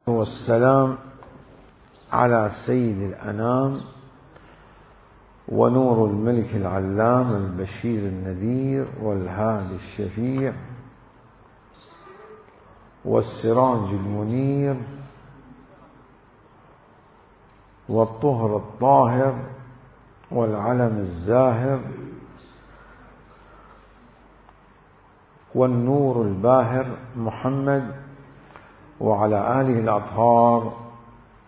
والسلام على سيد الأنام ونور الملك العلام البشير النذير والهادي الشفيع والسراج المنير والطهر الطاهر والعلم الزاهر والنور الباهر محمد وعلى آله الأطهار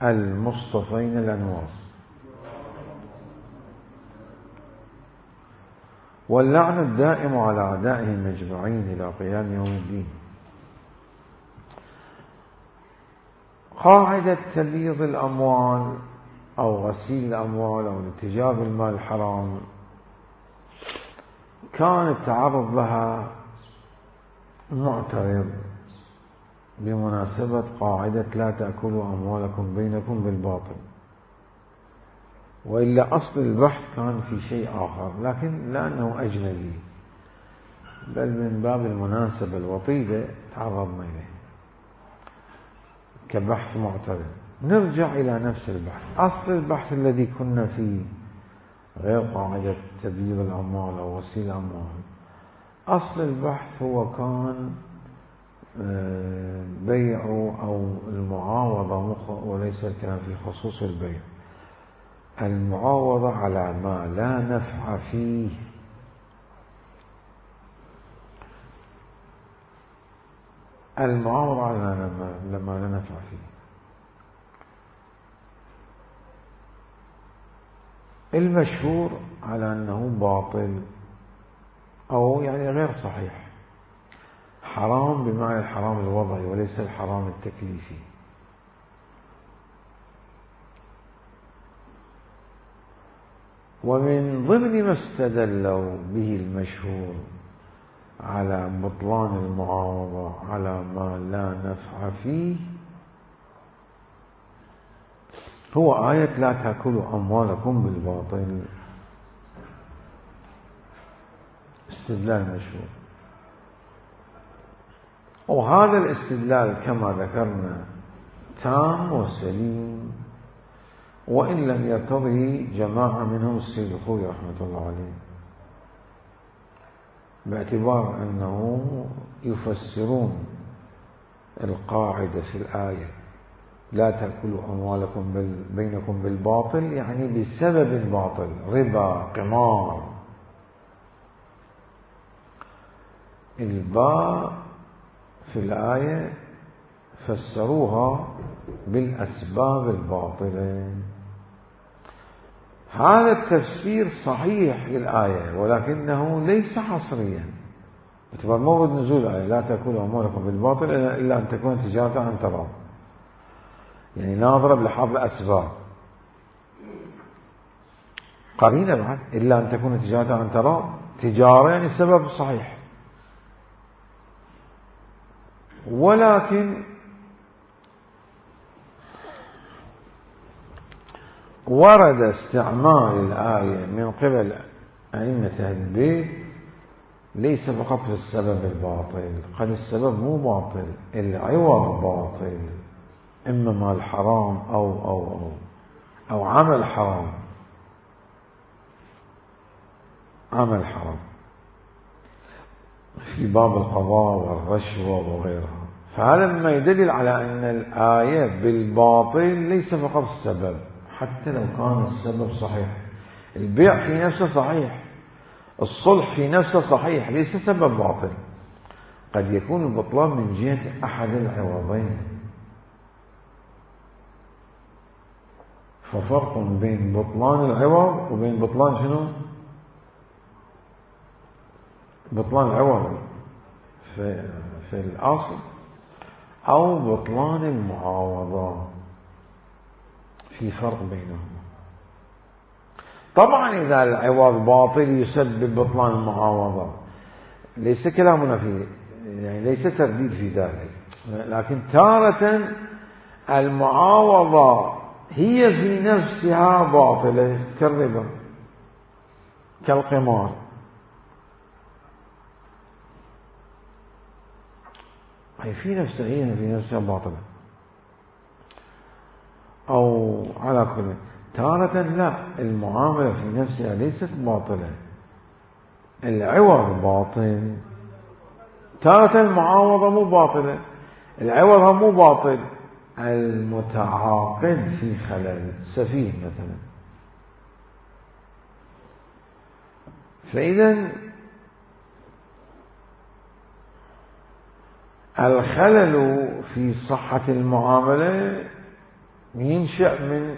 المصطفين الأنوار، واللعن الدائم على أعدائهم أجمعين إلى قيام يوم الدين. قاعدة تبييض الأموال أو غسيل الأموال أو الاتجار بالمال الحرام كان التعرض لها معترض بمناسبة قاعدة لا تأكلوا أموالكم بينكم بالباطل، وإلا أصل البحث كان في شيء آخر، لكن لأنه أجنبي بل من باب المناسبة الوطيدة تعرضنا إليه كبحث معترض. نرجع إلى نفس البحث. أصل البحث الذي كنا فيه غير قاعدة تبييض الأموال أو غسيل الأموال، أصل البحث هو كان بيع أو المعاوضة، وليس الكلام في خصوص البيع، المعاوضة على ما لا نفع فيه. المعاوضة على ما لا نفع فيه. المشهور على أنه باطل أو يعني غير صحيح، حرام بمعنى الحرام الوضعي وليس الحرام التكليفي. ومن ضمن ما استدلوا به المشهور على بطلان المعاوضة على ما لا نفع فيه هو آية لا تأكلوا أموالكم بالباطل. استدلال مشهور، وهذا الاستدلال كما ذكرنا تام وسليم، وإن لم يرتضه جماعة منهم السيد الخوي رحمة الله عليه، باعتبار أنه يفسرون القاعدة في الآية لا تأكلوا أموالكم بينكم بالباطل، يعني بسبب باطل، ربا، قمار. الباء في الآية فسروها بالأسباب الباطلة. هذا التفسير صحيح للآية ولكنه ليس حصريا، باعتبار مورد نزول الآية لا تأكلوا أموالكم بالباطل إلا أن تكون تجارة عن تراض، يعني ناظرة بلحاظ الأسباب. قرينة بعد إلا أن تكون تجارة عن تراض، تجارة يعني السبب صحيح، ولكن ورد استعمال الآية من قبل أئمة أهل البيت ليس فقط في السبب الباطل، قد السبب مو باطل، العوض باطل، إما مال حرام أو عمل حرام، عمل حرام في باب القضاء والرشوة وغيرها. فهذا مما يدل على أن الآية بالباطل ليس فقط السبب، حتى لو كان السبب صحيح. البيع في نفسه صحيح، الصلح في نفسه صحيح، ليس سبب باطل. قد يكون البطلان من جهة أحد العوضين. ففرق بين بطلان العوض وبين بطلان شنو؟ بطلان العوض في الأصل أو بطلان المعاوضة، في فرق بينهما. طبعا إذا العوض باطل يسبب بطلان المعاوضة، ليس كلامنا فيه، يعني ليس ترديد في ذلك، لكن تارة المعاوضة هي في نفسها باطلة كالربا كالقمار. هي في نفسها باطلة. على كل تارة لا، المعاملة في نفسها ليست باطلة، العوض باطل. تارة المعاوضة مو باطلة، العوض مو باطل، المتعاقد في خلل، سفيه مثلا. فإذا الخلل في صحة المعاملة ينشأ من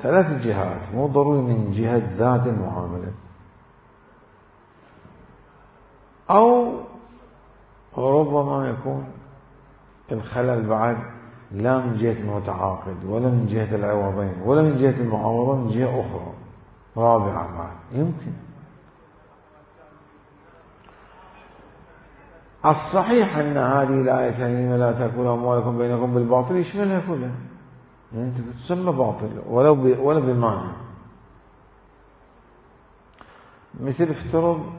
3 جهات، مو ضروري من جهة ذات المعاملة، أو ربما يكون الخلل بعد لا من جهة المتعاقد ولا من جهة العوضين ولا من جهة المعاوضة، من جهة أخرى رابعة بعد يمكن. الصحيح أن هذه الآية الكريمة لا تأكلوا أموالكم بينكم بالباطل يشملها كلها، يعني أنت تسمى باطل ولو بمعنى. مثل افترض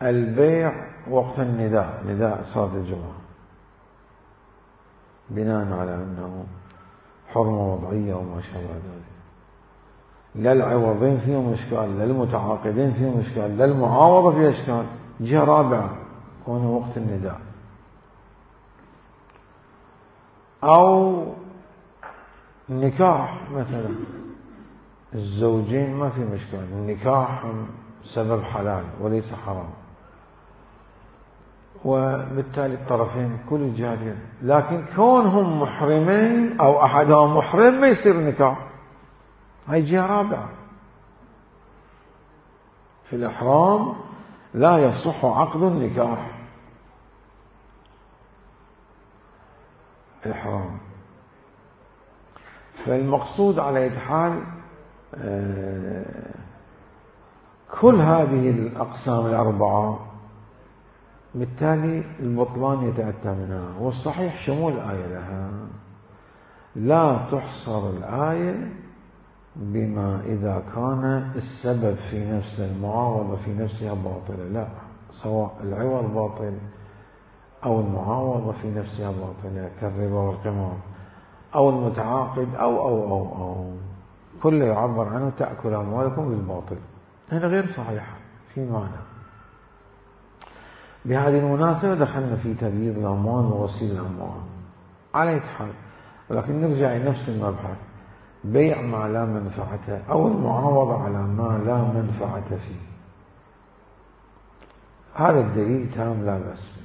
البيع وقت النداء، نداء صلاة الجمعة، بناء على أنه حرمة وضعية وما شابه ذلك، لا العوضين فيهم إشكال، لا المتعاقدين فيهم إشكال، لا المعاوضة فيها إشكال، جهة رابعة كونه وقت النداء. أو النكاح مثلا، الزوجين ما في مشكلة، النكاح سبب حلال وليس حرام، وبالتالي الطرفين كل الجهات، لكن كونهم محرمين أو أحدهم محرم ما يصير نكاح، هاي جهة رابعة. في الإحرام لا يصح عقد النكاح، الإحرام. فالمقصود على أي حال كل هذه الأقسام الأربعة بالتالي البطلان يتأتى منها، والصحيح شمول الآية لها، لا تحصر الآية بما إذا كان السبب في نفس المعاوضة في نفسها باطلة، لا، سواء العوض باطل أو المعاوضة في نفسها باطلة كالربا والقمار، أو المتعاقد أو كله يعبر عنه تأكل أموالكم بالباطل، هنا غير صحيحة في معنى. بهذه المناسبة دخلنا في تبييض الأموال وغسيل الأموال على أي حال، ولكن نرجع لنفس المبحث، بيع ما لا منفعة أو المعاوضة على ما لا منفعة فيه، هذا الدليل تام لا بأس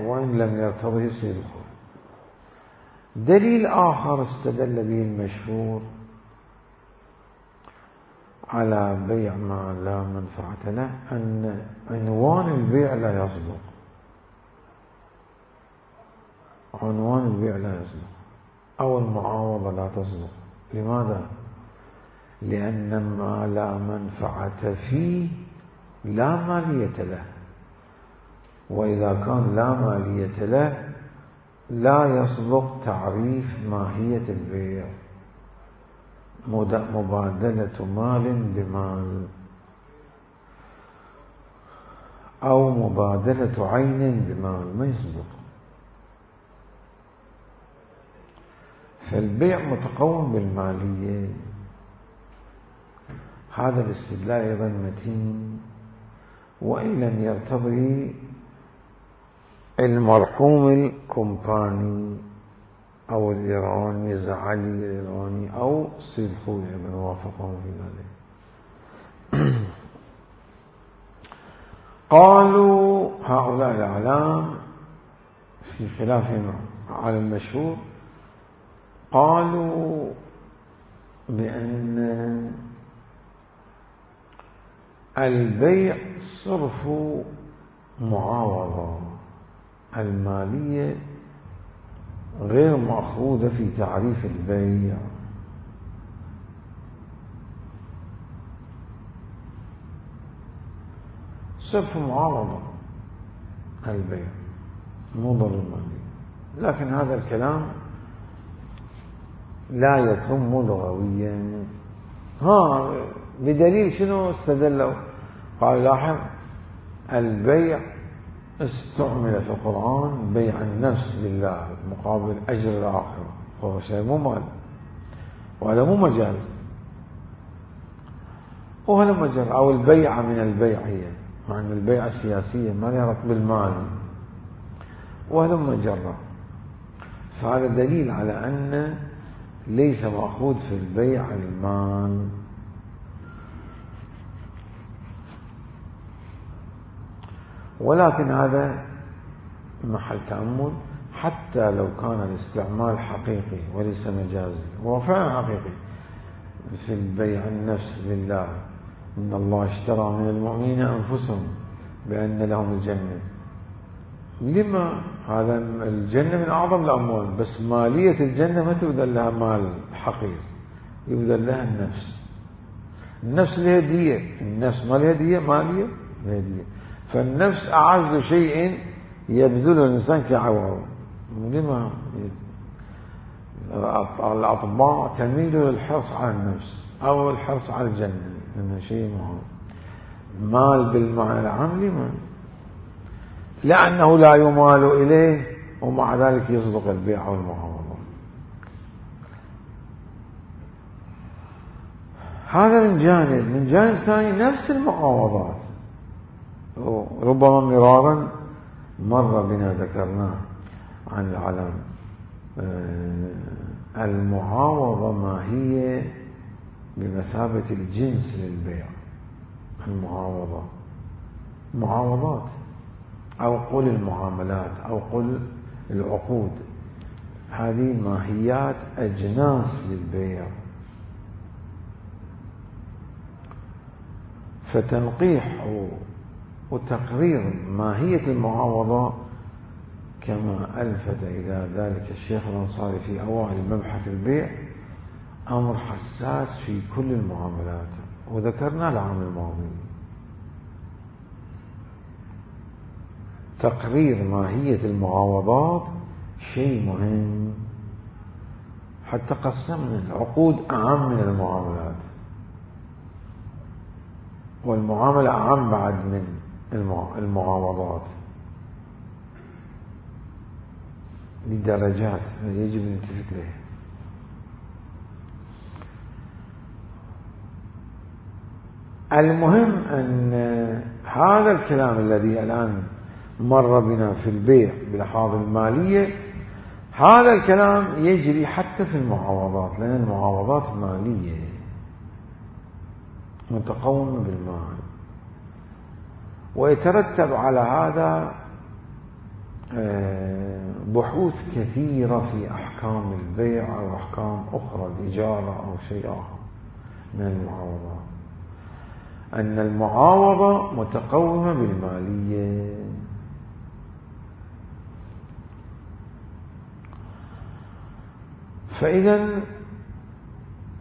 وإن لم يرتضه صدقه. دليل آخر استدل به المشهور على بيع ما لا منفعة له أن عنوان البيع لا يصدق، عنوان البيع لا يصدق أو المعاوضة لا تصدق. لماذا؟ لأن ما لا منفعة فيه لا مالية له، وإذا كان لا مالية له لا يصدق تعريف ماهية البيع، مبادلة مال بمال أو مبادلة عين بمال، ما يصدق. فالبيع متقوم بالمالية، هذا الاستدلال أيضا متين وإن لم يرتضي المرحوم الكومباني أو الإيراني زعلي الإيراني أو صلحوا من وافقهم في ذلك. قالوا هؤلاء الأعلام في خلافهم على المشهور، قالوا بأن البيع صرف معاوضة، المالية غير مأخوذة في تعريف البيع. صرف معاوضة البيع مو ضروري المالية، لكن هذا الكلام لا يتم لغويا. بدليل شنو استدلوا؟ قال لاحظ البيع استعمل في القرآن بيع النفس لله مقابل أجر الآخرة، فهو شيء مو مال. وهذا مو مجاز. وهذا مجاز. أو البيعة من البيع، هي مع أن البيعة السياسية ما لها ربط بالمال، وهذا مجرد. فهذا دليل على أن ليس مأخوذ في البيع المال. ولكن هذا محل تأمل، حتى لو كان الاستعمال حقيقي وليس مجازي، هو فعلا حقيقي في البيع النفس لله، إن الله اشترى من المؤمنين أنفسهم بأن لهم الجنة. لما؟ هذا الجنة من أعظم الأموال، بس مالية الجنة ما تبذل لها مال حقير، يبذل لها النفس. النفس لها دية، النفس ما لها دية، مالية لها دية. فالنفس أعز شيء يبذله الإنسان كعوض. لما؟ الأطباء تميل للحرص على النفس أو الحرص على الجنة، لأنه شيء مهم. مال بالمعنى العام لما؟ لأنه لا يمال إليه، ومع ذلك يصدق البيع والمعاوضة. هذا من جانب. من جانب ثاني نفس المعاوضات، ربما مرارا مر بنا ذكرناه عن العلم. المعاوضة ما هي بمثابة الجنس للبيع. المعاوضة معاوضات، أو قل المعاملات، أو قل العقود، هذه ماهيات أجناس للبيع. فتنقيح وتقرير ماهية المعاوضة كما ألفت إلى ذلك الشيخ الأنصاري في أوائل مبحث البيع أمر حساس في كل المعاملات، وذكرنا العام الماضي. تقرير ماهية المعاوضات شيء مهم، حتى قسمنا العقود أعم من المعاملات، والمعاملة أعم بعد من المعاوضات بدرجات يجب أن نلتفت لها. المهم أن هذا الكلام الذي الآن مر بنا في البيع بالأحواض المالية، هذا الكلام يجري حتى في المعاوضات، لأن المعاوضات مالية متقومة بالمال، ويترتب على هذا بحوث كثيرة في أحكام البيع أو أحكام أخرى، الإجارة أو شيء آخر من المعاوضات، أن المعاوضة متقومة بالمالية. فإذا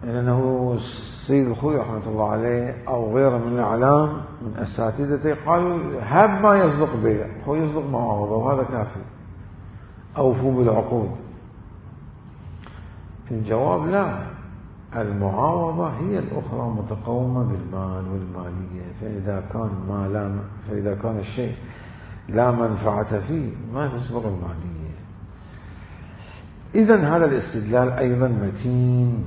لأنه السيد الخوي رحمة الله عليه أو غيره من الإعلام من أساتذته قالوا هب ما يصدق بيع، هو يصدق معاوضة وهذا كافي، أوفوا بالعقود. الجواب لا، المعاوضة هي الأخرى متقومة بالمال والمالية. فإذا كان الشيء لا منفعة فيه ما تسبق المالية. إذن هذا الاستدلال أيضا متين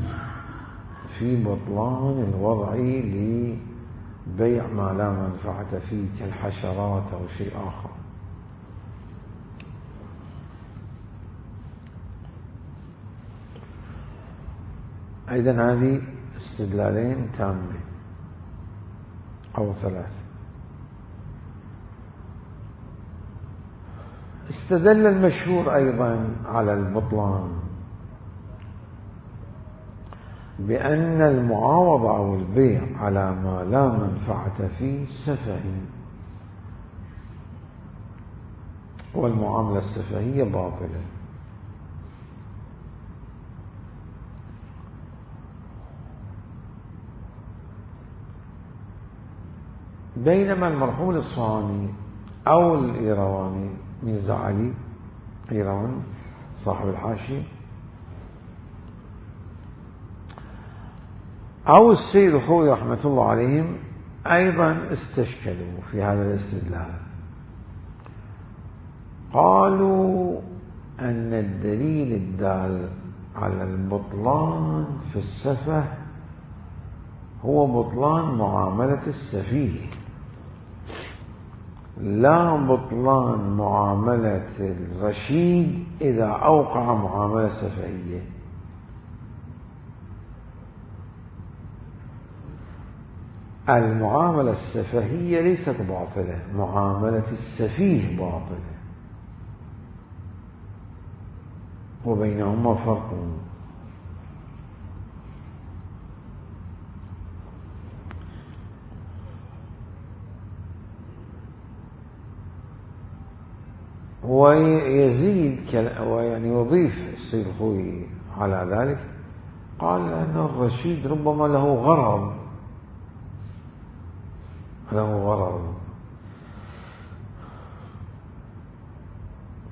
في بطلان الوضع لبيع ما لا منفعة فيه كالحشرات أو شيء آخر. أيضا هذه استدلالين تامين أو ثلاث. استدل المشهور أيضا على البطلان بأن المعاوضة أو البيع على ما لا منفعة فيه سفهي، والمعاملة السفهية باطلة. بينما المرحوم الإصفهاني أو الإيرواني ميرزا علي إيروان صاحب الحاشية أو السيد الخوي رحمة الله عليهم أيضا استشكلوا في هذا الاستدلال. قالوا أن الدليل الدال على البطلان في السفه هو بطلان معاملة السفيه، لا بطلان معاملة الرشيد إذا أوقع معاملة سفهية. المعاملة السفهية ليست باطلة، معاملة السفيه باطلة، وبينهما فرق. ويزيد ويعني يضيف السيد الخوئي على ذلك، قال أن الرشيد ربما له غرض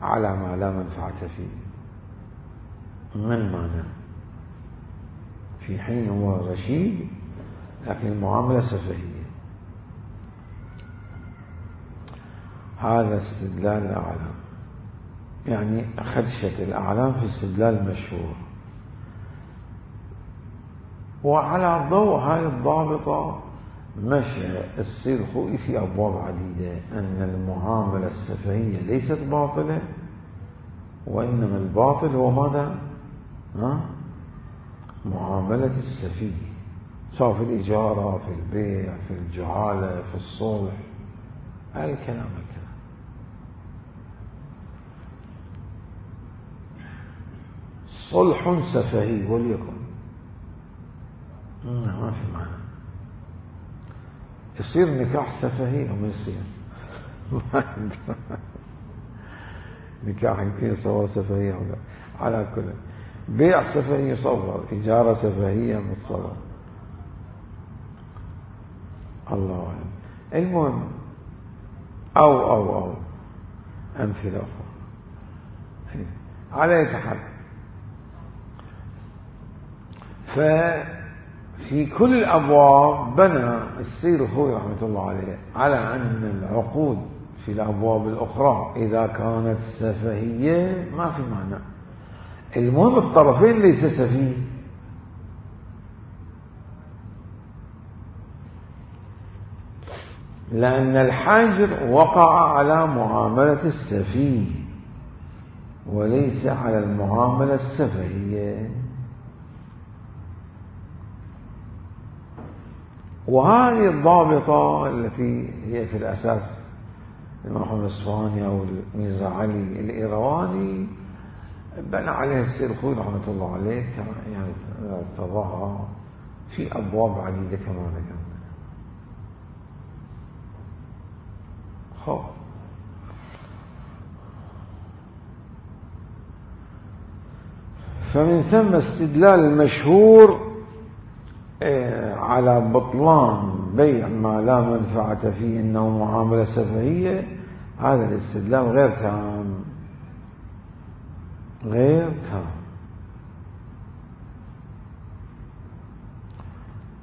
على ما لا منفعة فيه. ما المعنى؟ في حين هو رشيد لكن المعاملة سفهية. هذا استدلال الأعلام، يعني خدشة الأعلام في استدلال المشهور. وعلى ضوء هذه الضابطة مشى السيد الخوئي في أبواب عديدة، أن المعاملة السفهية ليست باطلة، وإنما الباطل هو ماذا؟ معاملة السفيه، سواء في الإجارة، في البيع، في الجعالة، في الصلح، الكلام صلح سفهي وليكن ما في معنى، يصير نكاح سفهي أو ما يصير نكاح يمكن يصور سفهي أو لا، على كل بيع سفهي يصور، إجارة سفهية متصور، الله أعلم. المهم أو أمثلة أخرى على يتحل. ففي كل الأبواب بنى السيد الخوئي رحمة الله عليه على أن العقود في الأبواب الأخرى إذا كانت سفهية ما في معنى، المهم الطرفين ليس سفيه. لأن الحاجر وقع على معاملة السفيه وليس على المعاملة السفهية. وهذه الضابطة التي هي في الأساس المرحوم الإصفهاني أو الميرزا علي الإيرواني بنى عليها السيد الخوئي رحمة الله عليه، يعني ارتضاها في أبواب عديدة كما ذكرنا. فمن ثم استدلال المشهور على بطلان بيع ما لا منفعة فيه إنه معاملة سفهية، هذا الاستدلال غير تام.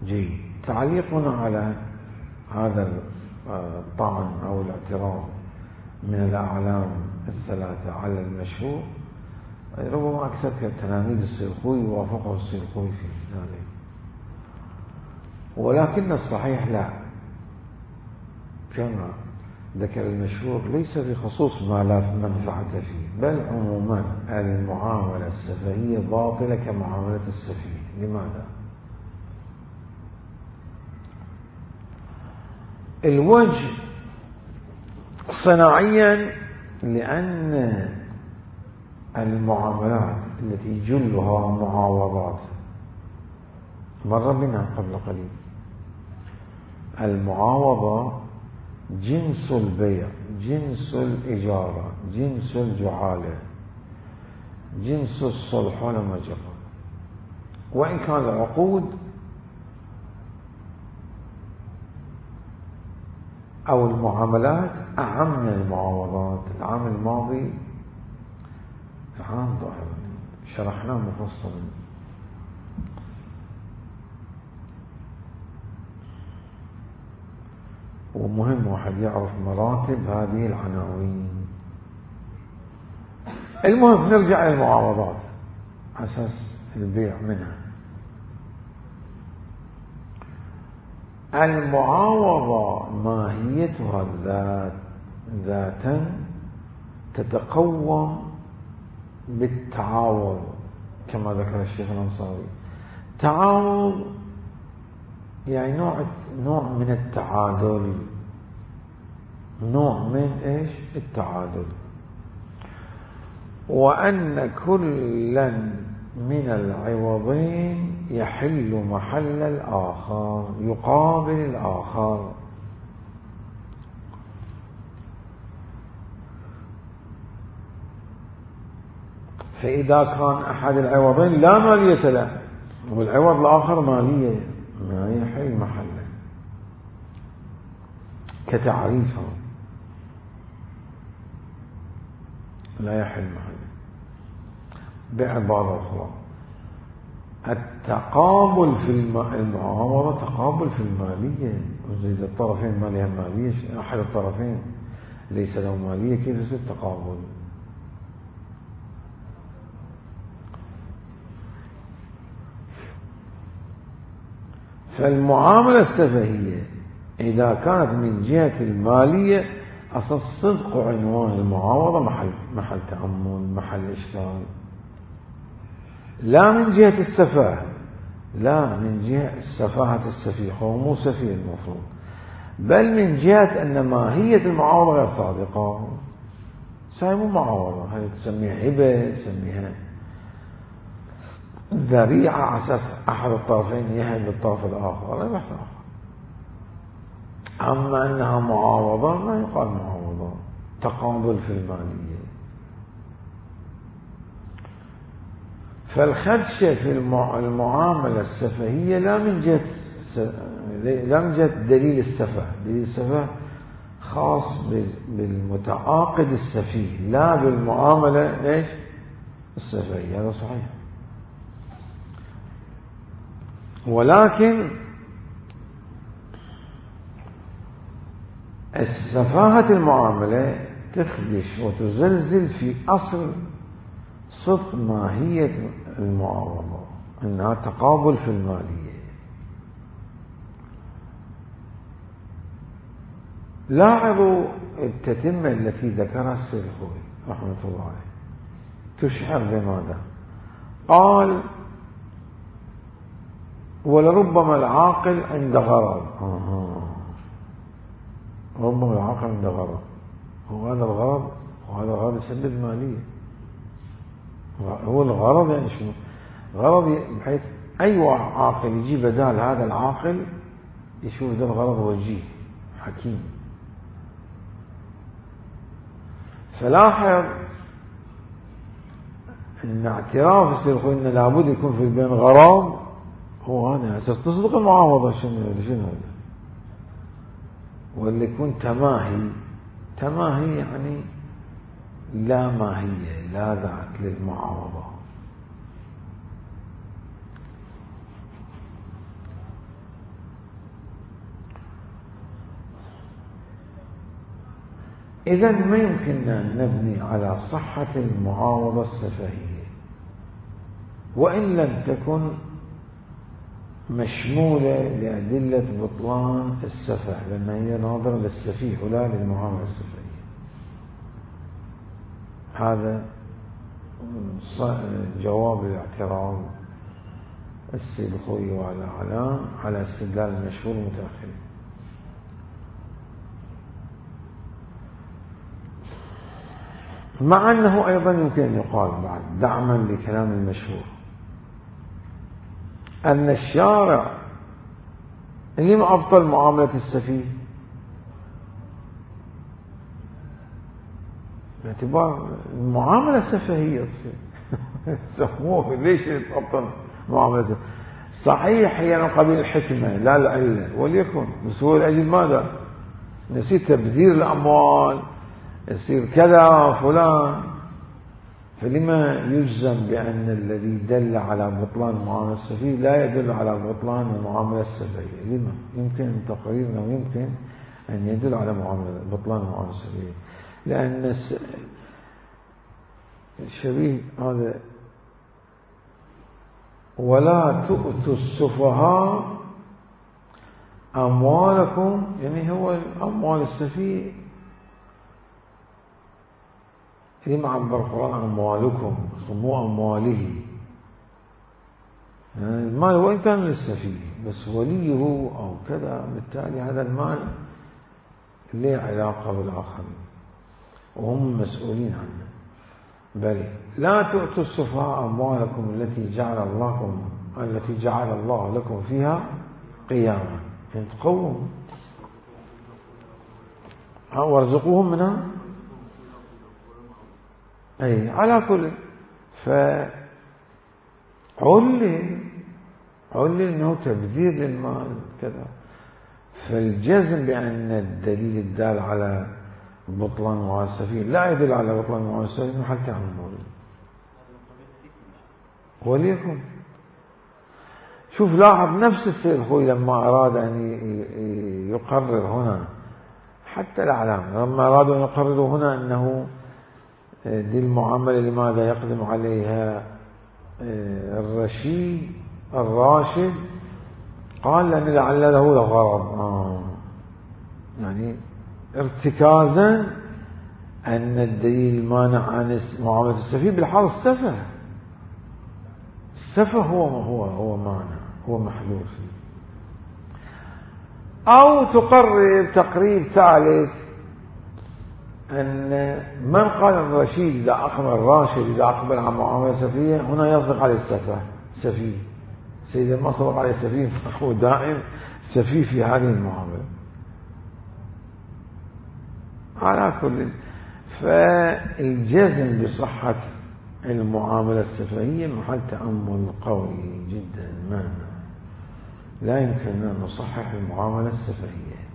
جيد. تعليقنا على هذا الطعن أو الاعتراض من الأعلام الثلاثة على المشهور، ربما أكثر تلاميذ السيد الخوئي وافقه السيد الخوئي في ذلك، ولكن الصحيح لا، كما ذكر المشهور ليس بخصوص ما لا منفعة فيه، بل عموما المعاملة السفهية باطلة كمعاملة السفيه. لماذا؟ الوجه صناعيا لأن المعاملات التي جلها معاوضات مر بنا قبل قليل، المعاوضة جنس البيع، جنس الإجارة، جنس الجعالة، جنس الصلح ولما جرى، وإن كان العقود أو المعاملات أعم من المعاوضات. العام الماضي العام ظاهر شرحناه مفصلا، ومهم واحد يعرف مراتب هذه العناوين. المهم نرجع للمعاوضات على أساس البيع منها. المعاوضة ماهيتها ذاتا تتقوم بالتعاوض كما ذكر الشيخ الأنصاري. تعاوض يعني نوع من التعادل، نوع من ايش؟ التعادل. وأن كلا من العوضين يحل محل الآخر، يقابل الآخر. فإذا كان أحد العوضين لا مالية له والعوض الآخر مالية، ما يحل محله كتعريفه، لا يحل محله. بعبارة أخرى، التقابل في المعاوضة تقابل في المالية. إذا الطرفين ما لها مالية، أحد الطرفين ليس له مالية، كيف يصير تقابل؟ فالمعاملة السفهية إذا كانت من جهة المالية أصل صدق عنوان المعاوضة محل تأمل، محل إشكال. لا من جهة السفاهة، لا من جهة السفاهة السفيه، هو مو سفيه المفروض، بل من جهة أن ماهية المعاوضة غير صادقة. هاي مو معاوضة، هاي تسميها هبة، تسميها ذريعة على أساس أحد الطرفين يهب للطرف الآخر، لا يحتاج. أما أنها معاوضة ما يقال معاوضة، تقابل في المالية. فالخدشة في المعاملة السفهية لا من جهة دليل السفه. دليل السفه خاص بالمتعاقد السفيه، لا بالمعاملة ايش؟ السفهية. هذا صحيح. ولكن سفاهة المعاملة تخدش وتزلزل في أصل صدق ماهية المعاوضة، أنها تقابل في المالية. لاحظوا التتمة التي ذكرها السيد الخوئي رحمة الله عليه تشعر بماذا؟ قال: ولربما العاقل عند غرض. ربما العاقل عند غرض، وهذا الغرض يسبب المالية. هو الغرض يعني شنو؟ غرض بحيث أي عاقل يجي بدال هذا العاقل يشوف ذا الغرض وجيه حكيم. فلاحظ أن اعتراف السيد أن لابد يكون في البين غرض، هو هذا أساس تصدق المعاوضة. شنو هذا؟ واللي يكون تماهي يعني لا ماهية، لا ذات للمعاوضة. إذن ما يمكننا أن نبني على صحة المعاوضة السفهية وإن لم تكن مشمولة لأدلة بطلان السفه، لأن هي ناظرة للسفيه ولا للمعاملة السفهية. هذا جواب الاعتراض السيد الخوئي وعلى علام على استدلال المشهور المتأخر. مع أنه أيضا يمكن أن يقال بعد دعما لكلام المشهور أن الشارع لم أبطل معاملة السفيه باعتبار المعاملة السفهية سموه ليش تبطل معاملة؟ صحيح هي من قبيل الحكمة لا العلة، وليكن بس هو لأجل ماذا؟ نسيت تبذير الأموال، يصير كذا فلان. فلما يجزم بأن الذي دل على بطلان المعاملة السفهية لا يدل على بطلان المعاملة السفهية؟ لما؟ يمكن تقريرنا ويمكن أن يدل على بطلان المعاملة السفهية، لأن الشبيه هذا ولا تؤتوا السفهاء أموالكم، يعني هو أموال السفيه لما عبر القرآن أموالكم مو أمواله، يعني المال وإن كان للسفيه بس وليه أو كذا، بالتالي هذا المال له علاقة بالآخرين وهم مسؤولين عنه. بل لا تؤتوا السفهاء أموالكم التي جعل الله لكم فيها قياما، يعني تقوم وارزقوهم منها. أي على كل علل أنه تبذير للمال كذا. فالجزم بأن الدليل الدال على بطلان معاملة السفيه لا يدل على بطلان معاملة السفيه محل تعمل. وليكن شوف لاحظ نفس السيد الخوي لما أراد أن يقرر هنا حتى الأعلام لما أرادوا أن يقرروا هنا أنه دي المعاملة لماذا يقدم عليها الراشد قال لأن لعل له لغرض، يعني ارتكازا أن الدليل المانع عن معاملة السفيه بالحال السفه هو مانع، هو محلول فيه. أو تقرر تقرير ثالث أن من قال الرشيد إذا أقبل الراشد إذا أقبل عن معاملة السفيه هنا يصدق عليه سفيه. سيدا ما صدق عليه سفيه فهو دائم سفيه في هذه المعاملة. على كل فالجزم بصحة المعاملة السفهية محل تأمل قوي جدا. لا يمكن أن نصحح المعاملة السفهية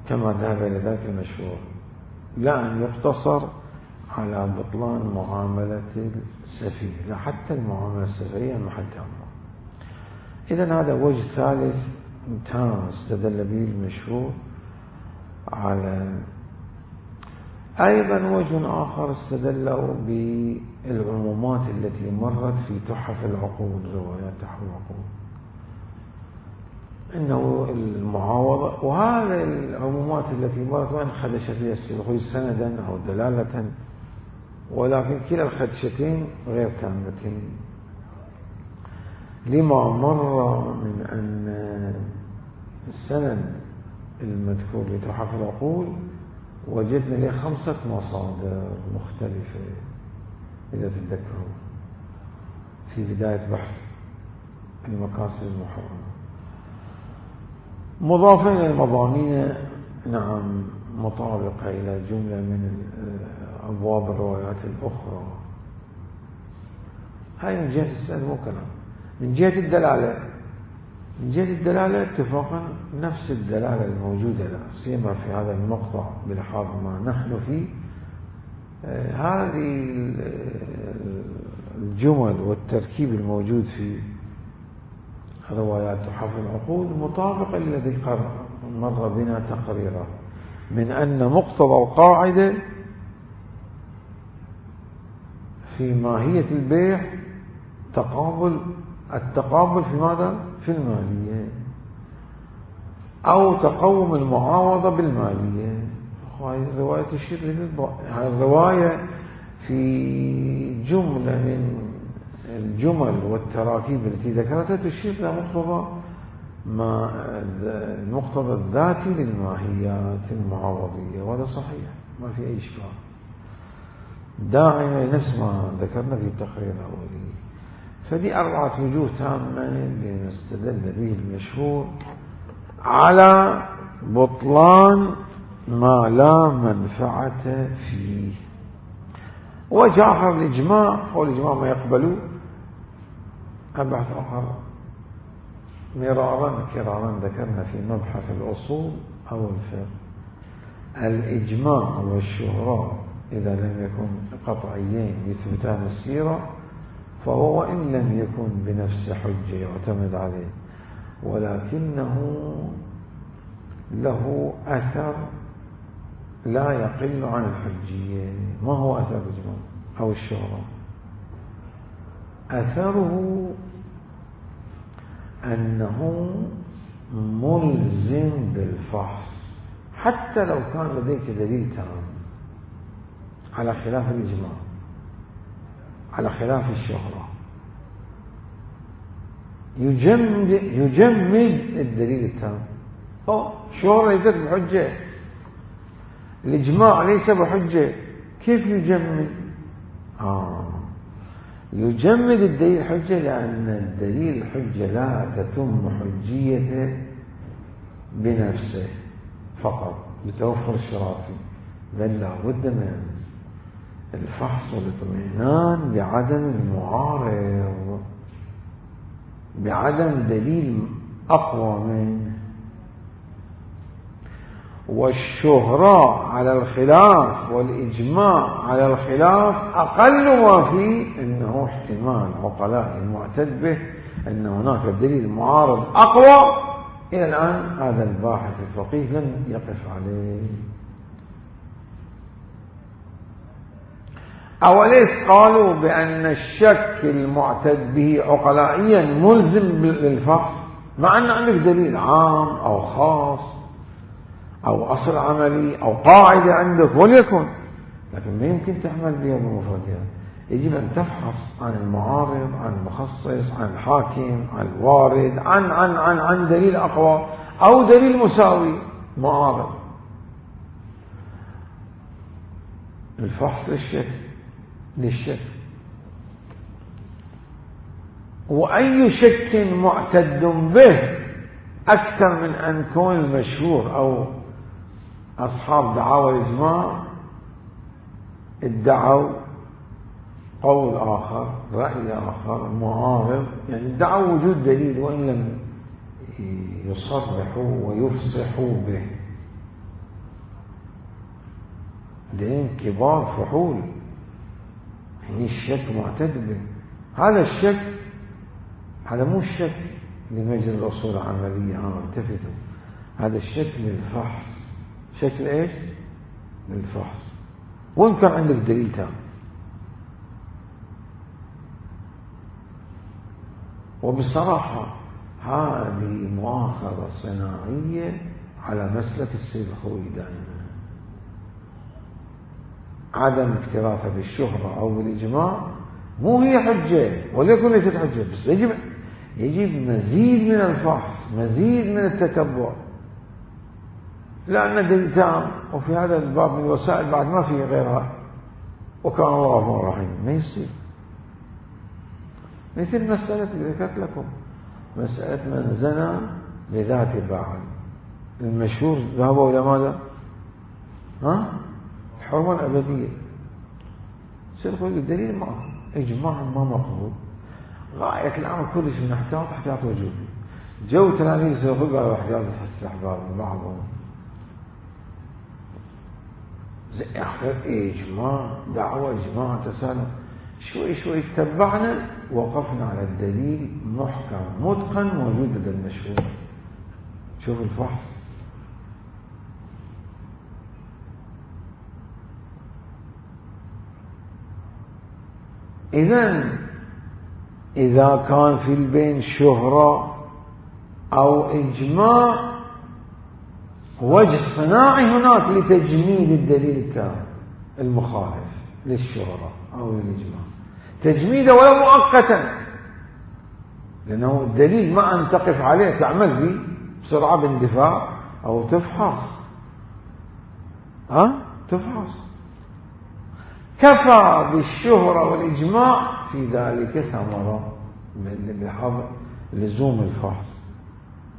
كما ذهب إلى ذلك المشهور، لا أن يقتصر على بطلان معاملة السفيه، لا حتى المعاملة السفهية محل تأمل. إذن هذا وجه ثالث تام استدل به المشهور على. أيضا وجه آخر استدلوا بالعمومات التي مرت في تحف العقود، روايات تحف العقود، إنه المعاوضة، وهذه العمومات التي مرت وإن خدش فيها السيد الخوي سندا أو دلالة، ولكن كلا الخدشتين غير كاملتين، لما مر من أن السند المذكور لتحف العقود وجدنا له 5 مصادر مختلفة إذا تتذكروا في بداية بحث المقاصد المحرمة، مضافة إلى المضامين نعم مطابقة إلى جملة من أبواب الروايات الأخرى. هاي من جهة السند مو كلام. من جهة الدلالة اتفاقا نفس الدلالة الموجودة لا سيما في هذا المقطع بلحاظ ما نحن فيه، هذه الجمل والتركيب الموجود في روايات تحف العقود مطابقة للذي مر بنا تقريرا من أن مقتضى القاعدة في ماهية البيع التقابل في ماذا؟ في المالية أو تقوم المعاوضة بالمالية. هذه الرواية تشير هذه الرواية في جملة من الجمل والتراكيب التي ذكرتها تشير إلى المقتضى الذاتي للماهيات المعاوضية، وهذا صحيح ما في أي إشكال داعمة نفس ما ذكرنا في التقرير الأولي. فدي 4 وجوه تامة لنستدل به المشهور على بطلان ما لا منفعة فيه. وجه آخر الإجماع، والإجماع ما يقبلوا أبحث آخر مرارا كرارا ذكرنا في مبحث الأصول أو الفقه الإجماع والشهرة إذا لم يكن قطعيين يثبتان السيرة فهو وإن لم يكن بنفس حجة يعتمد عليه ولكنه له أثر لا يقل عن الحجية. ما هو أثر الإجماع أو الشهرة؟ أثره أنه ملزم بالفحص حتى لو كان لديك دليل تام، على خلاف الإجماع، على خلاف الشهرة. يجمد الدليل التام. الشهرة ليست بحجة، الإجماع ليس بحجة، كيف يجمد؟ يجمد الدليل حجة، لأن الدليل الحجة لا تتم حجيته بنفسه فقط بتوفر الشرافي، بل لا بد من الفحص والاطمئنان بعدم المعارض، بعدم دليل أقوى منه. والشهرة على الخلاف والإجماع على الخلاف أقل ما فيه أنه احتمال عقلاء المعتد به أن هناك دليل معارض أقوى. إلى الآن هذا الباحث الفقيه لم يقف عليه. أوليس قالوا بأن الشك المعتد به عقلائيا ملزم للفحص، مع أن عندك دليل عام أو خاص أو أصل عملي أو قاعدة عندك وليكن، لكن ما يمكن تحمل بها بمفردها. يجب أن تفحص عن المعارض، عن المخصص، عن الحاكم، عن الوارد، عن دليل أقوى أو دليل مساوي معارض. الفحص للشك. وأي شك معتد به أكثر من أن يكون المشهور أو أصحاب دعاوى الإجماع ادعوا قول آخر، رأي آخر معارض، يعني ادعوا وجود دليل وإن لم يصرحوا ويفصحوا به. دين كبار فحول، يعني الشك معتد به. هذا الشك هذا مو الشك لمجرى الأصول العملية، التفتوا، هذا الشك للفحص. شكل ايش؟ للفحص، وإن كان عندك دليل تام. وبصراحة هذه مؤاخذة صناعية على مسلك السيد الخوئي دائما، عدم اكترافه بالشهرة أو بالإجماع مو هي حجة، وليكن ليست حجة، بس يجب مزيد من الفحص، مزيد من التتبع، لأن دليل تام وفي هذا الباب من الوسائل بعد ما فيه غيرها، وكان الله غفور رحيم. ما يصير مثل مسألة اللي ذكرت لكم، مسألة من زنى لذات بعل، المشهور ذهبوا إلى ماذا؟ الحرمة الأبدية. سيقول الدليل ما إجماع ما مقبول، غاية الأمر كلش من احتياط وجوبي. جو تلاميذ سيقول قالوا احتياط استحباب بعضهم، زي آخر إجماع، دعوة إجماع تسالم، شوي تبعنا وقفنا على الدليل محكم متقن موجود لدى المشهور. شوف الفحص. إذا كان في البين شهرة أو إجماع، وجه صناعي هناك لتجميد الدليل التام المخالف للشهرة أو للإجماع، تجميده ولو مؤقتا، لأنه الدليل ما أن تقف عليه تعمل به بسرعة باندفاع أو تفحص. تفحص. كفى بالشهرة والإجماع في ذلك ثمرة بحظ لزوم الفحص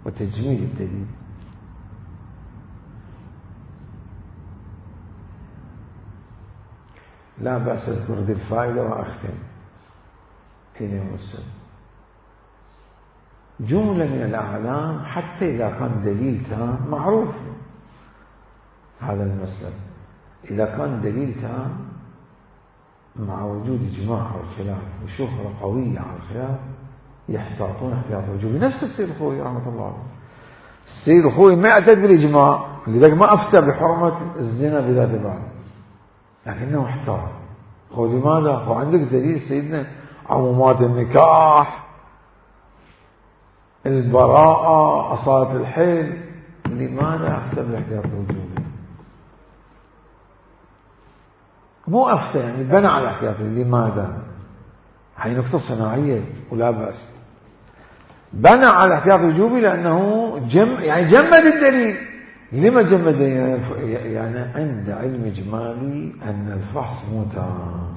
وتجميد الدليل. لا بأس أذكر ذي الفائدة وأختم. جملة من الأعلام حتى إذا كان دليل تام معروف هذا المسألة، إذا كان دليل تام مع وجود إجماع على الخلاف وشهرة قوية على الخلاف يحتاطون احتياط وجوبي. نفس السيد الخوئي رحمة الله عليه، السيد الخوئي ما اعتد بالإجماع، لذلك ما أفتى بحرمة الزنا بذات بعض، لكنه احتاط. هو لماذا؟ هو عندك دليل سيدنا عمومات النكاح، البراءة، أصالة الحيل. لماذا أفتى بالاحتياط الوجوبي؟ مو أفتى يعني بنى على الاحتياط. لماذا؟ هي نقطة صناعية ولا بأس. بنى على الاحتياط الوجوبي لأنه يعني جمد الدليل. لما جمد؟ يعني عند علم إجمالي أن الفحص مو تام.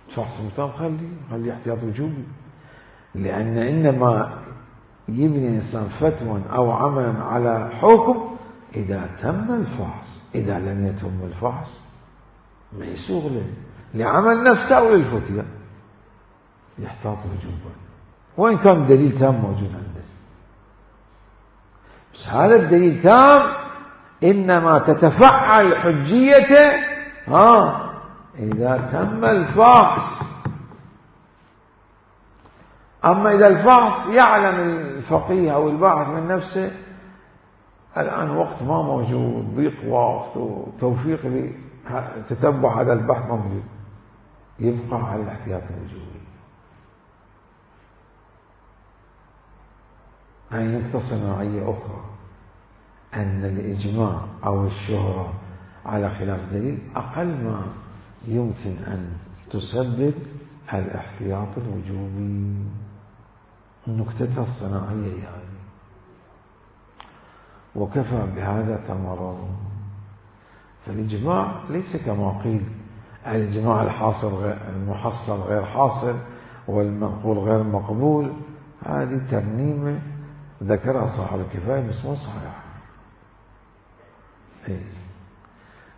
الفحص مو تام، خلي احتياط وجوبي. لأن إنما يبني الإنسان فتوى أو عملا على حكم إذا تم الفحص. إذا لم يتم الفحص ما يسوغ له لعمل نفسه أو للفتية، يحتاط وجوبا وإن كان الدليل تام موجود عنده. بس هذا الدليل تام إنما تتفعل حجيته إذا تم الفحص. أما إذا الفحص يعلم الفقيه أو الباحث من نفسه الآن وقت ما موجود، ضيق وقت وتوفيق لتتبع هذا البحث ما موجود، يبقى على الاحتياط الوجوبي. هاي نقطة صناعية أخرى، أن الإجماع أو الشهرة على خلاف دليل أقل ما يمكن أن تسبب الاحتياط الوجوبي. النكتة الصناعية يعني. وكفى بهذا ثمرا. فالإجماع ليس كما قيل الإجماع الحاصل المحصل غير حاصل والمقبول غير مقبول. هذه ترميمة ذكرها صاحب الكفاية بس مو صحيح.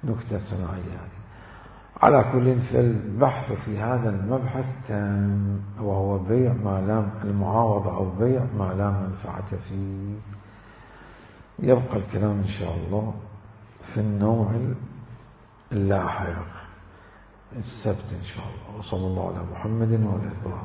نكتة صناعية. على كل فالبحث في هذا المبحث تام، وهو بيع ما لا المعاوضة أو بيع ما لا منفعة فيه. يبقى الكلام إن شاء الله في النوع اللاحق السبت إن شاء الله. وصلى الله على محمد وعلى آله.